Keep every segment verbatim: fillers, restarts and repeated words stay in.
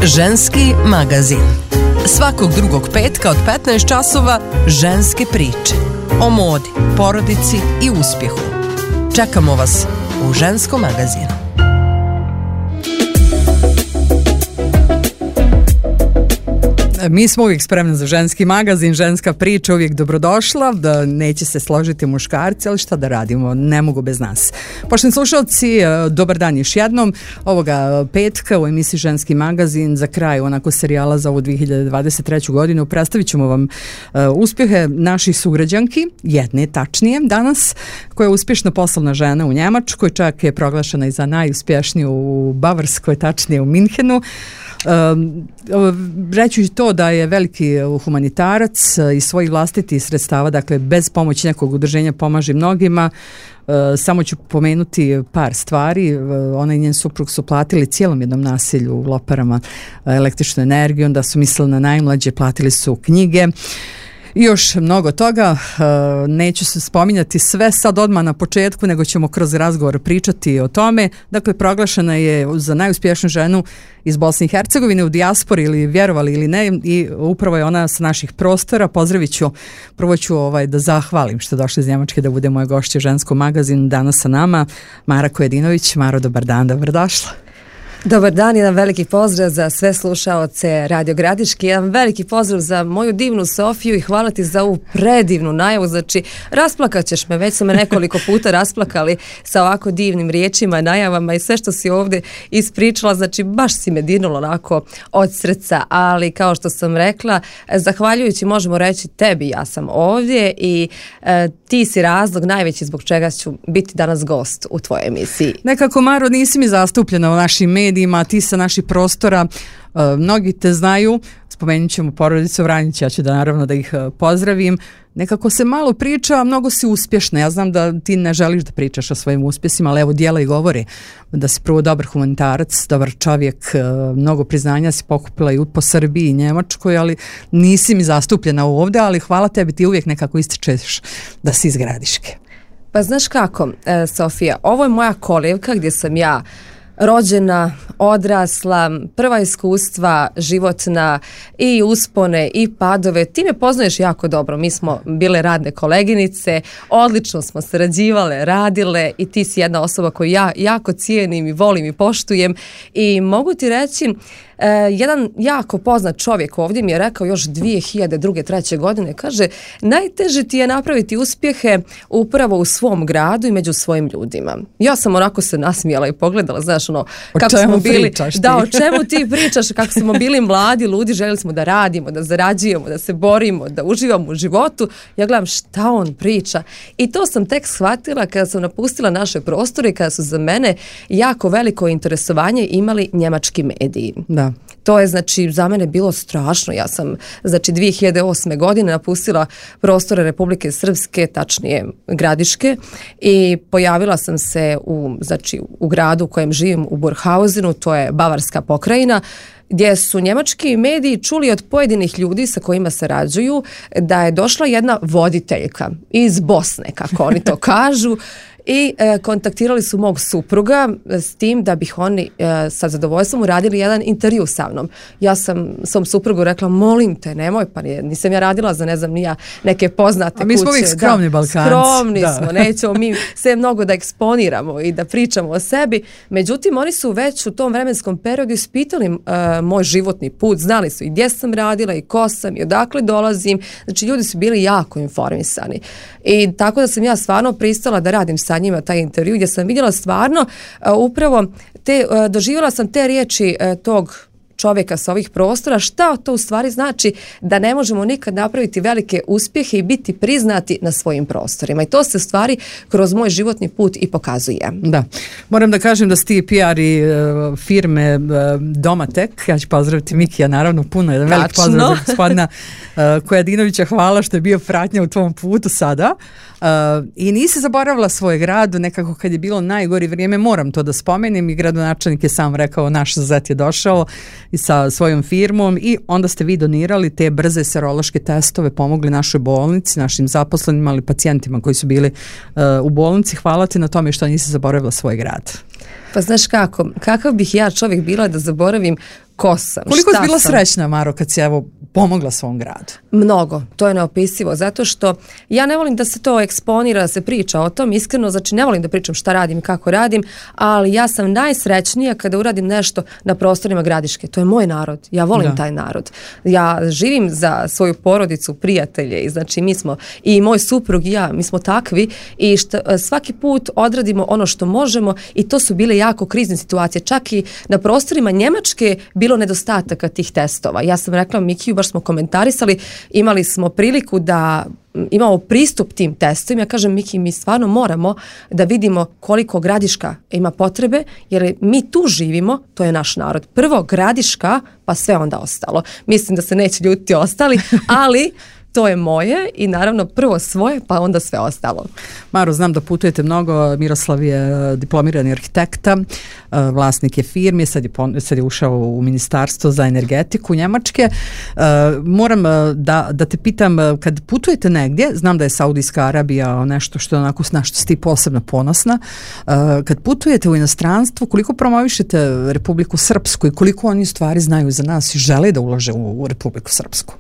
Ženski magazin. Svakog drugog petka od petnaest časova ženske priče. O modi, porodici i uspjehu. Čekamo vas u Ženskom magazinu. Mi smo uvijek spremni za ženski magazin, ženska priča uvijek dobrodošla, da neće se složiti muškarci, ali šta da radimo, ne mogu bez nas. Poštovani slušalci, dobar dan još jednom. Ovoga petka u emisiji Ženski magazin za kraj onako serijala za ovu dvije hiljade dvadeset treću godinu predstavit ćemo vam uh, uspjehe naših sugrađanki, jedne tačnije danas, koja je uspješna poslovna žena u Njemačkoj, čak je proglašena i za najuspješniju u Bavarskoj, tačnije u Minhenu. Um, reći to da je veliki humanitarac iz svojih vlastitih sredstava, dakle bez pomoći nekog udruženja pomaže mnogima. Uh, samo ću pomenuti par stvari. Uh, ona i njen suprug su platili cijelom jednom naselju u Loparama uh, električnu energiju, onda su mislili na najmlađe, platili su knjige i još mnogo toga. Neću se spominjati sve sad odmah na početku, nego ćemo kroz razgovor pričati o tome. Dakle, proglašena je za najuspješniju ženu iz Bosne i Hercegovine u dijaspori, ili vjerovali ili ne, i upravo je ona sa naših prostora. Pozdravit ću, prvo ću ovaj, da zahvalim što je došla iz Njemačke da bude moja gošća u Ženskom magazinu danas sa nama, Mara Kojedinović. Maro, dobar dan, dobrodošla. Dobar dan, jedan veliki pozdrav za sve slušaoce Radio Gradiški, jedan veliki pozdrav za moju divnu Sofiju i hvala ti za ovu predivnu najavu. Znači, rasplakat ćeš me, već su me nekoliko puta rasplakali sa ovako divnim riječima, najavama i sve što si ovdje ispričala, znači baš si me dirnulo onako od srca, ali kao što sam rekla, zahvaljujući možemo reći tebi, ja sam ovdje i e, ti si razlog najveći zbog čega ću biti danas gost u tvojoj emisiji. Nekako, Maro, nisi mi zastupljena u našim medijima, ti sa naših prostora, uh, mnogi te znaju, spomenut ćemo porodicu Vranjić, ja ću da naravno da ih uh, pozdravim. Nekako se malo priča, a mnogo si uspješna. Ja znam da ti ne želiš da pričaš o svojim uspjesima, ali evo djela i govori da si prvo dobar humanitarac, dobar čovjek, uh, mnogo priznanja si pokupila i po Srbiji i Njemačkoj, ali nisi mi zastupljena ovdje, ali hvala tebi, ti uvijek nekako ističeš da si iz Gradiške. Pa znaš kako, e, Sofija, ovo je moja kolevka gdje sam ja rođena, odrasla, prva iskustva životna i uspone i padove. Ti me poznaješ jako dobro, mi smo bile radne koleginice, odlično smo sarađivale, radile i ti si jedna osoba koju ja jako cijenim i volim i poštujem i mogu ti reći, Uh, jedan jako poznat čovjek ovdje mi je rekao još dvije hiljade druge treće godine, kaže, najteže ti je napraviti uspjehe upravo u svom gradu i među svojim ljudima. Ja sam onako se nasmijala i pogledala, znaš, ono, kako smo bili, da, o čemu ti pričaš, kako smo bili mladi ljudi, željeli smo da radimo, da zarađujemo, da se borimo, da uživamo u životu. Ja gledam šta on priča i to sam tek shvatila kada sam napustila naše prostore i kada su za mene jako veliko interesovanje imali njemački mediji. Da. To je, znači, za mene bilo strašno. Ja sam, znači, dvije hiljade osme godine napustila prostore Republike Srpske, tačnije Gradiške, i pojavila sam se u, znači, u gradu u kojem živim, u Burghausenu, to je Bavarska pokrajina, gdje su njemački mediji čuli od pojedinih ljudi sa kojima sarađuju da je došla jedna voditeljka iz Bosne, kako oni to kažu, i e, kontaktirali su mog supruga s tim da bih oni e, sa zadovoljstvom uradili jedan intervju sa mnom. Ja sam svom suprugu rekla, molim te, nemoj, pa nije, nisam ja radila za ne znam nija neke poznate kuće. A mi smo uvijek skromni Balkanci. Skromni da. smo, nećemo mi sve mnogo da eksponiramo i da pričamo o sebi. Međutim, oni su već u tom vremenskom periodu ispitali uh, moj životni put, znali su i gdje sam radila i ko sam i odakle dolazim. Znači, ljudi su bili jako informisani. I tako da sam ja stvarno pristala da radim sa njima taj intervju gdje sam vidjela stvarno uh, upravo te, uh, doživjela sam te riječi uh, tog čovjeka sa ovih prostora, šta to u stvari znači da ne možemo nikad napraviti velike uspjehe i biti priznati na svojim prostorima. I to se stvari kroz moj životni put i pokazuje. Da. Moram da kažem da si ti P R i uh, firme uh, Domatek, ja ću pozdraviti Mikija, naravno puno, jedan velik pozdrav za gospodina uh, Kojedinovića, hvala što je bio pratnja u tvom putu sada. Uh, I nisi zaboravila svoj grad, nekako kad je bilo najgori vrijeme, moram to da spomenem, i gradonačelnik je sam rekao, naš zet je došao i sa svojom firmom, i onda ste vi donirali te brze serološke testove, pomogli našoj bolnici, našim zaposlenima, ali pacijentima koji su bili uh, u bolnici. Hvala ti na tome što nisi zaboravila svoj grad. Pa znaš kako, kakav bih ja čovjek bila da zaboravim ko sam, Koliko šta si bila sam. srećna, Maro, kad si evo pomogla svom gradu? Mnogo, to je neopisivo, zato što ja ne volim da se to eksponira, da se priča o tom, iskreno, znači ne volim da pričam šta radim i kako radim, ali ja sam najsrećnija kada uradim nešto na prostorima Gradiške. To je moj narod, ja volim da. taj narod. Ja živim za svoju porodicu, prijatelje, i znači mi smo, i moj suprug i ja, mi smo takvi i šta, svaki put odradimo ono što možemo i to su bile jako krizne situacije. Čak i na prostorima Njemačke bilo nedostataka tih testova. Ja sam rekla Mikiju, baš smo komentarisali, imali smo priliku da imamo pristup tim testovima. Ja kažem, Miki, mi stvarno moramo da vidimo koliko Gradiška ima potrebe, jer mi tu živimo, to je naš narod. Prvo Gradiška, pa sve onda ostalo. Mislim da se neće ljutiti ostali, ali to je moje i naravno prvo svoje, pa onda sve ostalo. Maro, znam da putujete mnogo, Miroslav je diplomirani arhitekta, vlasnik je firme, sad je, sad je ušao u ministarstvo za energetiku Njemačke. Moram da, da te pitam, kad putujete negdje, znam da je Saudijska Arabija nešto što je onako na što si ti posebno ponosna, kad putujete u inostranstvo, koliko promovišete Republiku Srpsku i koliko oni stvari znaju za nas i žele da ulože u, u Republiku Srpsku?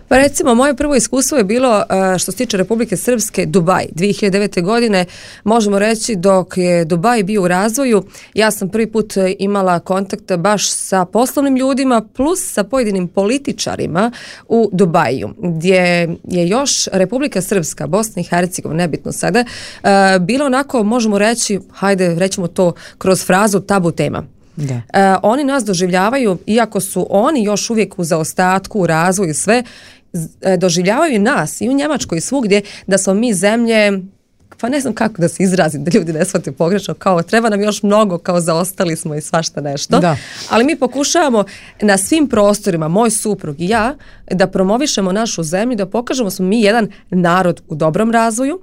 Pa recimo, moje prvo iskustvo je bilo, što se tiče Republike Srpske, Dubaj. dvije hiljade devete. godine, možemo reći, dok je Dubaj bio u razvoju, ja sam prvi put imala kontakt baš sa poslovnim ljudima plus sa pojedinim političarima u Dubaju, gdje je još Republika Srpska, Bosna i Hercegovina, nebitno sada, bilo onako, možemo reći, hajde, rećemo to kroz frazu, tabu tema. Da. E, oni nas doživljavaju, iako su oni još uvijek u zaostatku, u razvoju i sve, e, doživljavaju nas i u Njemačkoj i svugdje da smo mi zemlje, pa ne znam kako da se izrazim, da ljudi ne shvate pogrešno, kao treba nam još mnogo, kao zaostali smo i svašta nešto. Da. Ali mi pokušavamo na svim prostorima, moj suprug i ja, da promovišemo našu zemlju, da pokažemo da smo mi jedan narod u dobrom razvoju,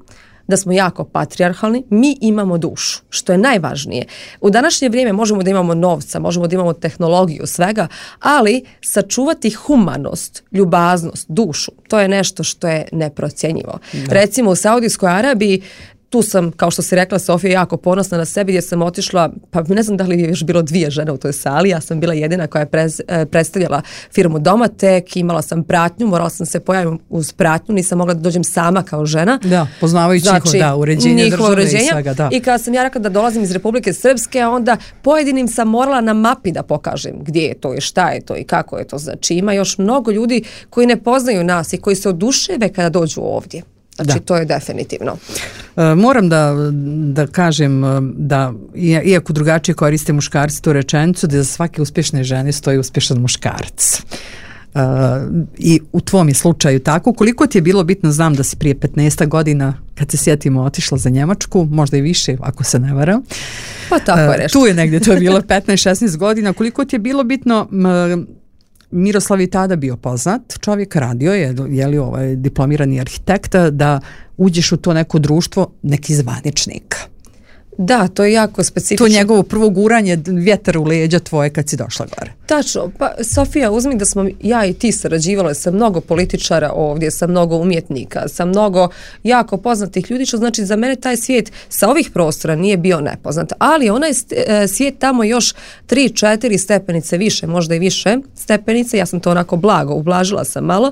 da smo jako patrijarhalni, mi imamo dušu, što je najvažnije. U današnje vrijeme možemo da imamo novca, možemo da imamo tehnologiju, svega, ali sačuvati humanost, ljubaznost, dušu, to je nešto što je neprocjenjivo. Da. Recimo u Saudijskoj Arabiji, tu sam, kao što si rekla, Sofija, jako ponosna na sebi, gdje sam otišla, pa ne znam da li je još bilo dvije žene u toj sali, ja sam bila jedina koja je prez, predstavljala firmu Domatek, imala sam pratnju, morala sam se pojaviti uz pratnju, nisam mogla da dođem sama kao žena. Da, poznavajući znači, njihov, da, uređenje države uređenja, i svega, da. I kada sam ja rekla da dolazim iz Republike Srpske, onda pojedinim sam morala na mapi da pokažem gdje je to i šta je to i kako je to. Znači ima još mnogo ljudi koji ne poznaju nas i koji se oduševe kada dođu ovdje. Znači, da. To je definitivno. E, moram da, da kažem da, iako drugačije koriste muškarci tu rečenicu, da za svake uspješne žene stoji uspješan muškarac. E, I u tvom je slučaju tako. Koliko ti je bilo bitno, znam da si prije petnaest godina, kad se sjetimo, otišla za Njemačku, možda i više, ako se ne varam. Pa tako je nešto. E, tu je negdje, to je bilo petnaest šesnaest godina. Koliko ti je bilo bitno... M, Miroslav je tada bio poznat, čovjek radio je, je li ovaj diplomirani arhitekt, da uđeš u to neko društvo neki zvaničnika. Da, to je jako specifično. To njegovo prvo guranje vjetar u leđa tvoje kad si došla gore. Tačno, pa Sofija, uzmi da smo ja i ti sarađivale sa mnogo političara ovdje, sa mnogo umjetnika, sa mnogo jako poznatih ljudi, što znači za mene taj svijet sa ovih prostora nije bio nepoznat, ali onaj svijet tamo još tri četiri stepenice više, možda i više stepenice, ja sam to onako blago, ublažila sam malo.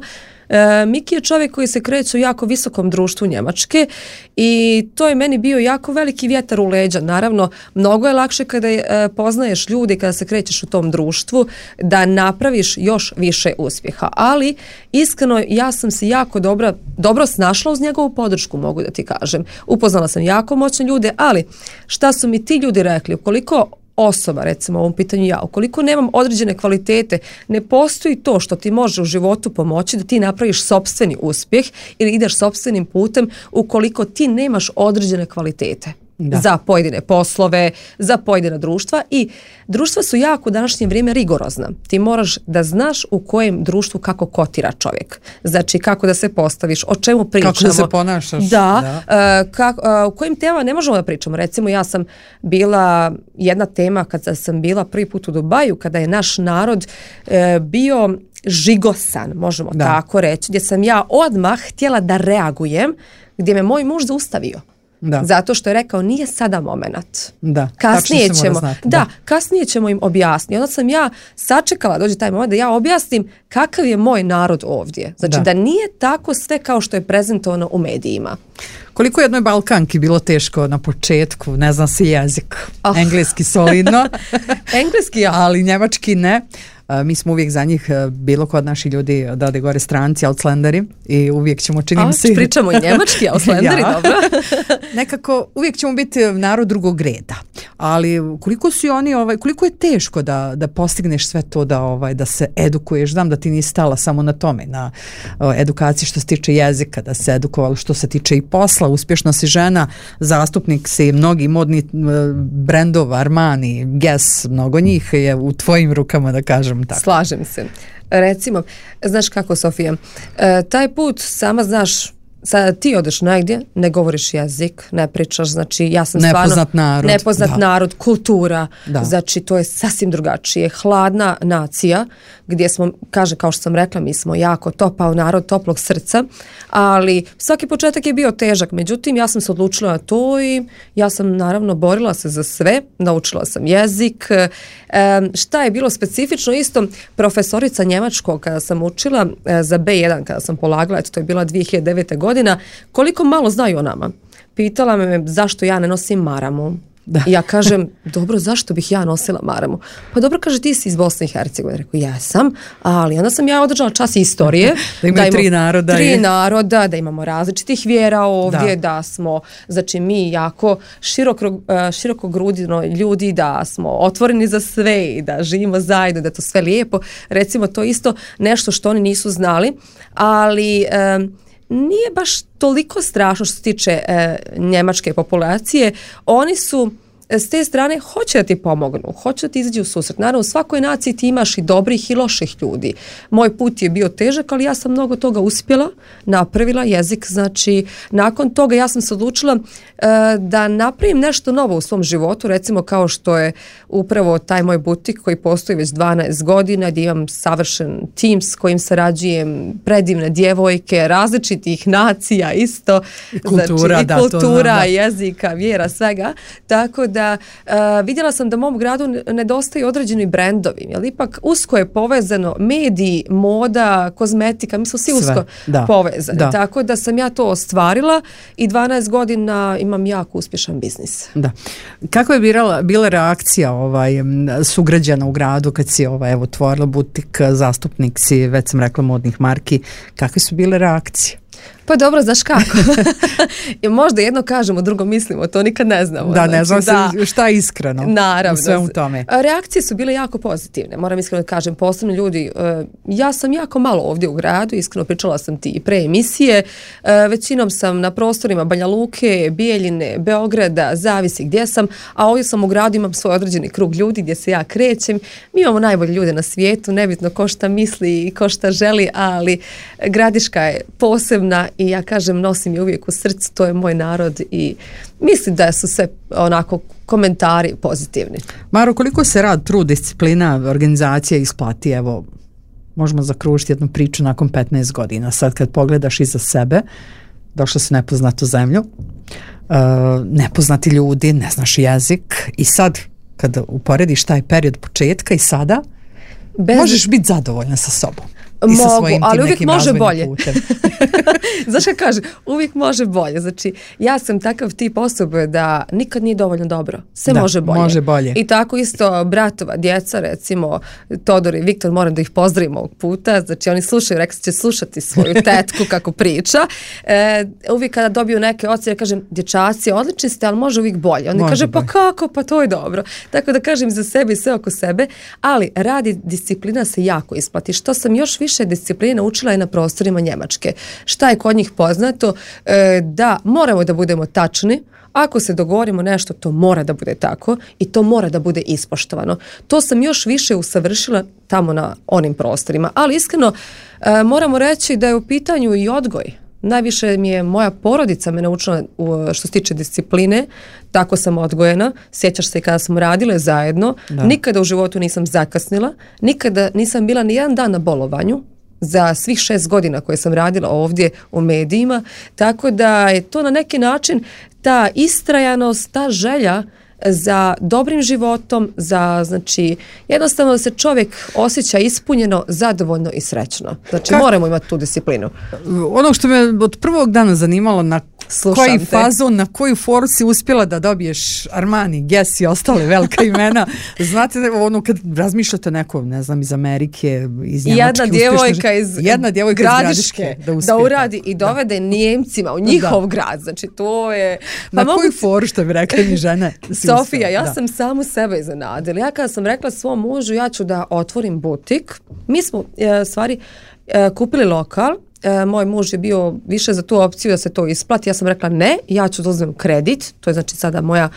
E, Miki je čovjek koji se kreće u jako visokom društvu Njemačke i to je meni bio jako veliki vjetar u leđa. Naravno, mnogo je lakše kada e, poznaješ ljudi, kada se krećeš u tom društvu, da napraviš još više uspjeha. Ali, iskreno, ja sam se jako dobro, dobro snašla uz njegovu podršku, mogu da ti kažem. Upoznala sam jako moćne ljude, ali šta su mi ti ljudi rekli? Ukoliko osoba, recimo u ovom pitanju ja, ukoliko nemam određene kvalitete, ne postoji to što ti može u životu pomoći da ti napraviš sopstveni uspjeh ili ideš sopstvenim putem ukoliko ti nemaš određene kvalitete. Da. Za pojedine poslove, za pojedina društva i društva su jako u današnje vrijeme rigorozna. Ti moraš da znaš u kojem društvu kako kotira čovjek. Znači kako da se postaviš, o čemu pričamo. Kako da se ponašaš. Da, da. Uh, kak, uh, u kojim temama ne možemo da pričamo. Recimo ja sam bila jedna tema kada sam bila prvi put u Dubaju, kada je naš narod uh, bio žigosan, možemo da. tako reći, gdje sam ja odmah htjela da reagujem, gdje me moj muž zaustavio. Da. Zato što je rekao nije sada momenat. Da, kasnije ćemo, znati, da, da, kasnije ćemo im objasniti. Onda sam ja sačekala dođe taj moment da ja objasnim kakav je moj narod ovdje. Znači da, da nije tako sve kao što je prezentovano u medijima. Koliko je jednoj Balkanki bilo teško na početku, ne znam si jezik, oh. engleski solidno, engleski ja. ali njemački ne. Mi smo uvijek za njih, bilo kod naši ljudi da ode gore stranci, outslanderi i uvijek ćemo činim A, se... pričamo i njemački, outslanderi, ja. Dobro. Nekako uvijek ćemo biti narod drugog reda, ali koliko su oni, ovaj, koliko je teško da, da postigneš sve to, da, ovaj, da se edukuješ, znam da ti nisi stala samo na tome, na o, edukaciji što se tiče jezika, da se edukovalo što se tiče i posla, uspješna si žena, zastupnik si mnogi modni brendova, Armani, Guess, mnogo njih je u tvojim rukama, da kažem. Tako. Slažem se. Recimo, znaš kako, Sofija, e, taj put sama znaš, sada ti odeš negdje, ne govoriš jezik, ne pričaš, znači ja sam nepoznat stvarno narod, nepoznat da. narod, kultura, da. Znači to je sasvim drugačije. Hladna nacija, gdje smo, kaže kao što sam rekla, mi smo jako topao narod, toplog srca, ali svaki početak je bio težak, međutim ja sam se odlučila na to i ja sam naravno borila se za sve, naučila sam jezik. E, šta je bilo specifično isto, profesorica njemačkog kada sam učila e, za be jedan, kada sam polagala, eto to je bila dvije hiljade devete. godina, koliko malo znaju o nama. Pitala me zašto ja ne nosim maramu. Da. I ja kažem, dobro, zašto bih ja nosila maramu? Pa dobro, kaže, ti si iz Bosne i Hercegovine. Rekao, jesam, ali onda sam ja održala čas istorije. Da imaju tri naroda. Tri je. naroda, da imamo različitih vjera ovdje, da, da smo, znači mi jako široko, široko grudino ljudi, da smo otvoreni za sve i da živimo zajedno, da je to sve lijepo. Recimo, to isto nešto što oni nisu znali, ali... Um, nije baš toliko strašno što se tiče e, njemačke populacije. Oni su s te strane hoće da ti pomognu, hoće da ti izađu u susret. Naravno, u svakoj naciji ti imaš i dobrih i loših ljudi. Moj put je bio težak, ali ja sam mnogo toga uspjela, napravila jezik. Znači, nakon toga ja sam se odlučila e, da napravim nešto novo u svom životu, recimo kao što je upravo taj moj butik koji postoji već dvanaest godina, gdje imam savršen tim s kojim sarađujem, predivne djevojke, različitih nacija isto. I kultura, znači, da, i kultura, to znam, da. jezika, vjera, svega. Tako da Uh, vidjela sam da mom gradu nedostaju određeni brendovi, jer ipak usko je povezano mediji, moda, kozmetika, mi smo svi usko da. povezani. Da. Tako da sam ja to ostvarila i dvanaest godina imam jako uspješan biznis. Da. Kako je bila, bila reakcija ovaj, sugrađana u gradu kad si ovaj, evo, otvorila butik, zastupnik si, već sam rekla, modnih marki, kakve su bile reakcije? Pa dobro, znaš kako? Možda jedno kažemo, drugo mislimo, to nikad ne znamo. Da, ne znam znači, da, šta je iskreno. Naravno. U svemu tome. Reakcije su bile jako pozitivne, moram iskreno da kažem. Posebno ljudi, ja sam jako malo ovdje u gradu, iskreno pričala sam ti i pre emisije, većinom sam na prostorima Banja Luke, Bijeljine, Beograda, zavisi gdje sam, a ovdje sam u gradu, imam svoj određeni krug ljudi gdje se ja krećem. Mi imamo najbolje ljude na svijetu, nebitno ko šta misli i ko šta želi, ali Gradiška je posebna i ja kažem, nosim je uvijek u srcu, to je moj narod i mislim da su sve onako komentari pozitivni. Maro, koliko se rad, trud, disciplina, organizacija isplati? Evo, možemo zakružiti jednu priču nakon petnaest godina. Sad kad pogledaš iza sebe, došla si u nepoznatu zemlju, uh, nepoznati ljudi, ne znaš jezik i sad kada uporediš taj period početka i sada, Bez... možeš biti zadovoljna sa sobom. Mogu, ali uvijek može bolje. Znaš šta kaže? Uvijek može bolje. Znači, ja sam takav tip osobe da nikad nije dovoljno dobro. Sve da, može bolje. može bolje. I tako isto bratova djeca, recimo Todor i Viktor, moram da ih pozdravim ovog puta. Znači, oni slušaju, rekli će slušati svoju tetku kako priča. E, uvijek kada dobiju neke ocjene, kažem, dječaci, odlični ste, ali može uvijek bolje. Oni kaže, pa kako? Pa to je dobro. Tako da kažem za sebe i sve oko sebe, ali radi disciplina se jako isplati. Što sam još više discipline učila je na prostorima Njemačke. Šta je kod njih poznato? E, da moramo da budemo tačni. Ako se dogovorimo nešto, to mora da bude tako i to mora da bude ispoštovano. To sam još više usavršila tamo na onim prostorima. Ali iskreno e, moramo reći da je u pitanju i odgoj. Najviše mi je moja porodica me naučila što se tiče discipline, tako sam odgojena. Sjećaš se kada smo radile zajedno, da. Nikada u životu nisam zakasnila, nikada nisam bila ni jedan dan na bolovanju. za svih šest godina koje sam radila ovdje u medijima, tako da je to na neki način ta istrajanost, ta želja za dobrim životom, za, znači, jednostavno da se čovjek osjeća ispunjeno, zadovoljno i srećno. Znači, Kak... moramo imati tu disciplinu. Ono što me od prvog dana zanimalo, na Slušam koji te. fazon, na koju foru si uspjela da dobiješ Armani, Guess i ostale velika imena. Znate, ono kad razmišljate neko, ne znam, iz Amerike, iz Njemačke. Jedna djevojka iz, jedna djevojka Gradiške, iz Gradiške da, uspije, da uradi i dovede da. Nijemcima u njihov da. grad. Znači, to je... Pa na koju foru, što bi rekli mi žene? Sofija, ja da. sam samu sebe iznenadila. Ja kada sam rekla svom mužu, ja ću da otvorim butik, mi smo, e, stvari, e, kupili lokal. E, moj muž je bio više za tu opciju da se to isplati. Ja sam rekla ne, ja ću da uzmem kredit. To je znači sada moja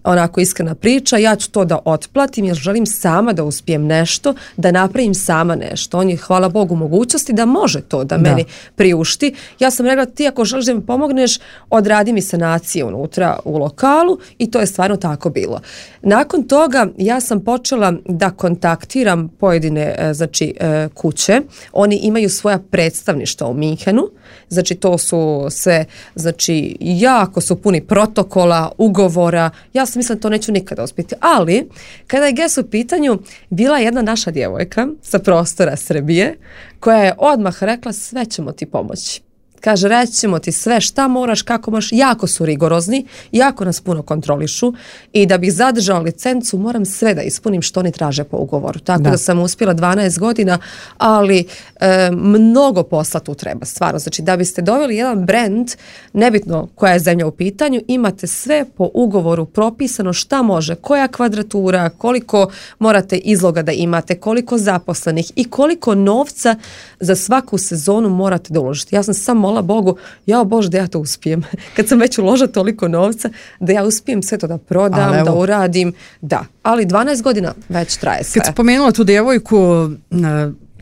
onako iskrena priča. Ja ću to da otplatim jer želim sama da uspijem nešto, da napravim sama nešto. On je, hvala Bogu, mogućnosti da može to da, da. meni priušti. Ja sam rekla, ti ako želiš da mi pomogneš, odradi mi sanacije unutra u lokalu i to je stvarno tako bilo. Nakon toga ja sam počela da kontaktiram pojedine znači, kuće. Oni imaju svoja predstavništva u Minhenu. Znači to su sve, znači jako su puni protokola, ugovora. Ja sam mislila da to neću nikada uspjeti. Ali, kada je Guess u pitanju, bila jedna naša djevojka sa prostora Srbije koja je odmah rekla sve ćemo ti pomoći. Kaže, reći ćemo ti sve šta moraš, kako moraš, jako su rigorozni, jako nas puno kontrolišu i da bih zadržala licencu moram sve da ispunim što oni traže po ugovoru. Tako da, da sam uspjela dvanaest godina, ali e, mnogo posla tu treba, stvarno. Znači, da biste doveli jedan brand, nebitno koja je zemlja u pitanju, imate sve po ugovoru propisano šta može, koja kvadratura, koliko morate izloga da imate, koliko zaposlenih i koliko novca za svaku sezonu morate da uložite. Ja sam samo mola Bogu, jao Bože da ja to uspijem. Kad sam već uložila toliko novca, da ja uspijem sve to da prodam, da uradim, da. Ali dvanaest godina već traje sve. Kad spomenula tu djevojku,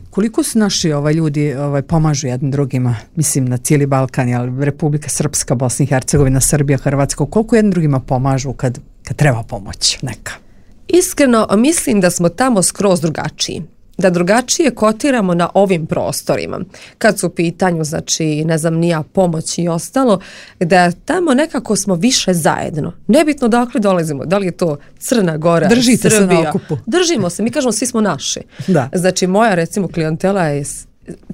koliko su naši ovaj, ljudi ovaj, pomažu jednim drugima, mislim na cijeli Balkan, ali Republika Srpska, Bosna i Hercegovina, Srbija, Hrvatska, koliko jednim drugima pomažu kad, kad treba pomoć neka? Iskreno, mislim da smo tamo skroz drugačiji. Da drugačije kotiramo na ovim prostorima. Kad su u pitanju, znači, ne znam, nija pomoć i ostalo, da tamo nekako smo više zajedno. Nebitno dakle dolazimo, da li je to Crna Gora, Držite Srbija. Se na okupu. Držimo se, mi kažemo svi smo naši. Da. Znači, moja, recimo, klijentela je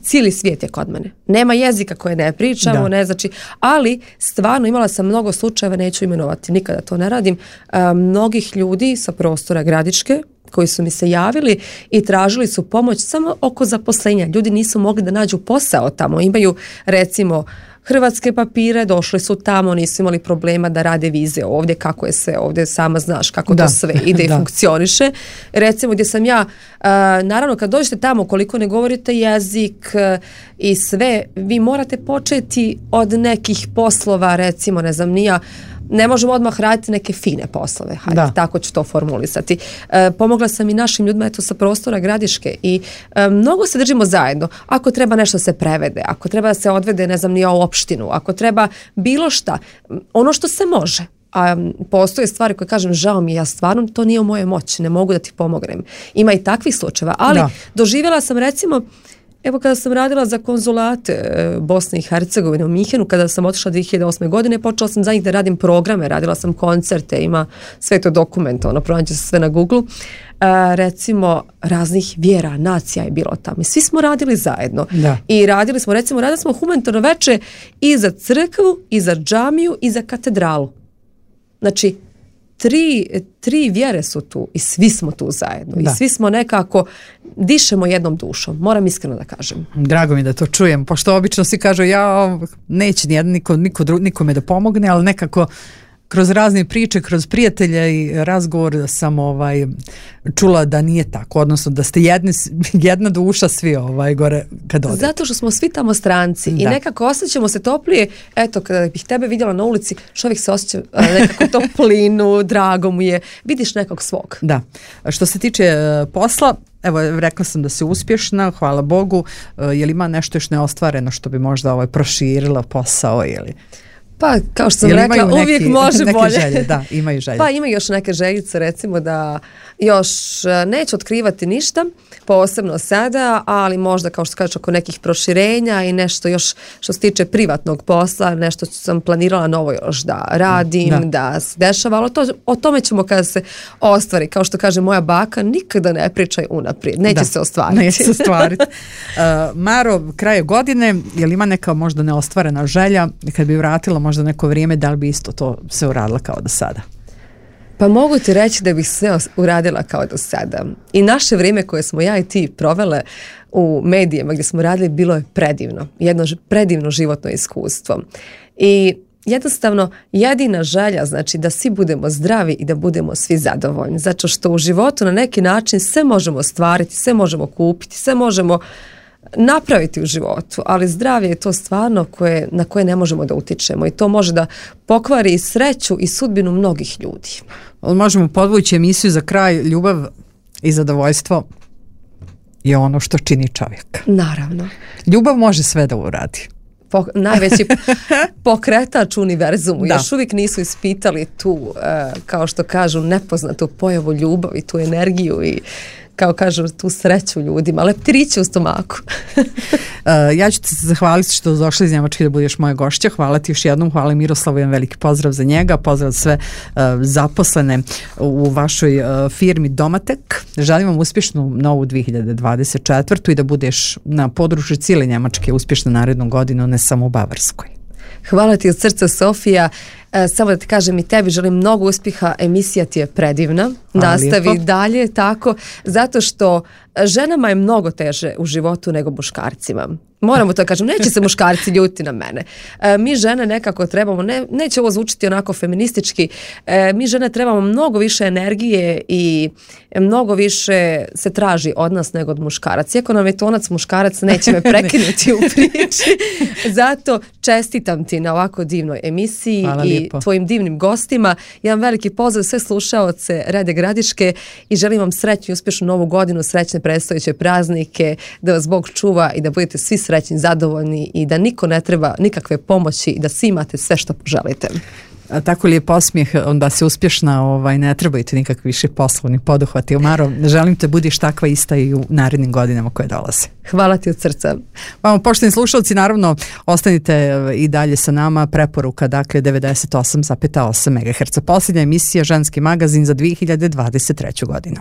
cijeli svijet je kod mene. Nema jezika koje ne pričamo, da. ne znači, ali stvarno imala sam mnogo slučajeva, neću imenovati, nikada to ne radim, a, mnogih ljudi sa prostora Gradiške koji su mi se javili i tražili su pomoć samo oko zaposlenja. Ljudi nisu mogli da nađu posao tamo. Imaju, recimo, hrvatske papire, došli su tamo, nisu imali problema da rade vize ovdje, kako je sve ovdje, sama znaš kako da. to sve ide i funkcioniše. Recimo gdje sam ja, uh, naravno kad dođete tamo, koliko ne govorite jezik uh, i sve, vi morate početi od nekih poslova, recimo, ne znam, nija, ne možemo odmah raditi neke fine poslove, hajde, da. tako ću to formulisati. E, pomogla sam i našim ljudima eto sa prostora Gradiške i e, mnogo se držimo zajedno. Ako treba nešto se prevede, ako treba da se odvede, ne znam, nije u opštinu, ako treba bilo šta, ono što se može. A postoje stvari koje kažem, žao mi, ja stvarno to nije u mojoj moći, ne mogu da ti pomognem. Ima i takvih slučajeva, ali da. doživjela sam recimo, evo kada sam radila za konzulate Bosne i Hercegovine u Minhenu, kada sam otišla dvije hiljade osme. godine, počela sam za njih da radim programe, radila sam koncerte, ima sve to dokument, ono, pronađe se sve na Google. E, recimo, raznih vjera, nacija je bilo tamo. I svi smo radili zajedno. Da. I radili smo, recimo, radili smo humanitarno veče i za crkvu, i za džamiju, i za katedralu. Znači, Tri, tri vjere su tu i svi smo tu zajedno da. i svi smo nekako dišemo jednom dušom, moram iskreno da kažem. Drago mi da to čujem, pošto obično svi kažu ja neće nijedan, niko, niko, nikome da pomogne, ali nekako kroz razne priče, kroz prijatelje i razgovor sam ovaj, čula da nije tako, odnosno da ste jedni, jedna duša svi ovaj, gore kad odete. Zato što smo svi tamo stranci da. i nekako osjećamo se toplije, eto kada bih tebe vidjela na ulici, čovjek se osjeća nekako toplinu, drago mu je, vidiš nekog svog. Da, što se tiče uh, posla, evo rekla sam da si uspješna, hvala Bogu, uh, je li ima nešto još neostvareno što bi možda ovaj, proširila posao ili... Pa, kao što sam Jel rekla, neki, uvijek može neke bolje. Želje, da, imaju želje. Pa ima još neke željice, recimo da još neću otkrivati ništa, posebno sada, ali možda, kao što kažeš, oko nekih proširenja i nešto još što se tiče privatnog posla, nešto sam planirala novo još da radim, da, da se dešava, ali to, o tome ćemo kada se ostvari. Kao što kaže moja baka, nikada ne pričaj unaprijed, neće da, se ostvariti. Neće se ostvariti. uh, Maro, kraje godine, je li ima neka možda neostvarena želja, kad bi vratila možda neko vrijeme, da li bi isto to se uradila kao do sada? Pa mogu ti reći da bih sve uradila kao do sada. I naše vrijeme koje smo ja i ti provele u medijima gdje smo radili bilo je predivno. Jedno predivno životno iskustvo. I jednostavno jedina želja znači da svi budemo zdravi i da budemo svi zadovoljni. Zato što u životu na neki način sve možemo ostvariti, sve možemo kupiti, sve možemo napraviti u životu, ali zdravlje je to stvarno koje, na koje ne možemo da utičemo i to može da pokvari i sreću i sudbinu mnogih ljudi. Možemo podvući emisiju za kraj, ljubav i zadovoljstvo je ono što čini čovjek. Naravno. Ljubav može sve da uradi. Po, najveći pokretač univerzumu. Da. Još uvijek nisu ispitali tu, uh, kao što kažu, nepoznatu pojavu ljubavi, tu energiju i kao kažu tu sreću ljudima, leptiriće u stomaku. uh, ja ću ti se zahvaliti što došli iz Njemačke da budeš moja gošća. Hvala ti još jednom, hvala Miroslavu, jedan veliki pozdrav za njega, pozdrav sve uh, zaposlene u vašoj uh, firmi Domatek. Želim vam uspješnu novu dvije hiljade dvadeset četvrtu i da budeš na području cijele Njemačke uspješna narednu godinu, ne samo u Bavarskoj. Hvala ti od srca, Sofija. E, samo da ti kažem i tebi želim mnogo uspjeha, emisija ti je predivna. Hvala Nastavi lijepo. dalje tako, zato što ženama je mnogo teže u životu nego muškarcima. Moramo to kažem, neće se muškarci ljuti na mene. E, mi žene nekako trebamo, ne, neće ovo zvučiti onako feministički, e, mi žene trebamo mnogo više energije i mnogo više se traži od nas nego od muškaraca. Iako nam je tonac muškarac, neće me prekinuti u priči. Zato čestitam ti na ovako divnoj emisiji i tvojim divnim gostima. Jedan veliki pozdrav sve slušaoce Rede Gradiške i želim vam srećnu i uspješnu novu godinu, srećne predstojeće praznike, da vas Bog čuva i da budete svi srećni, zadovoljni i da niko ne treba nikakve pomoći i da svi imate sve što poželite. A tako lijep osmijeh, onda se uspješna, ovaj, ne trebajte nikakvi više poslovni poduhvati. Maro, želim te budiš takva ista i u narednim godinama koje dolaze. Hvala ti od srca. Vamo, poštovani slušalci, naravno, ostanite i dalje sa nama. Preporuka, dakle, devedeset osam zarez osam megaherca. Posljednja emisija Ženski magazin za dvije hiljade dvadeset treću godinu.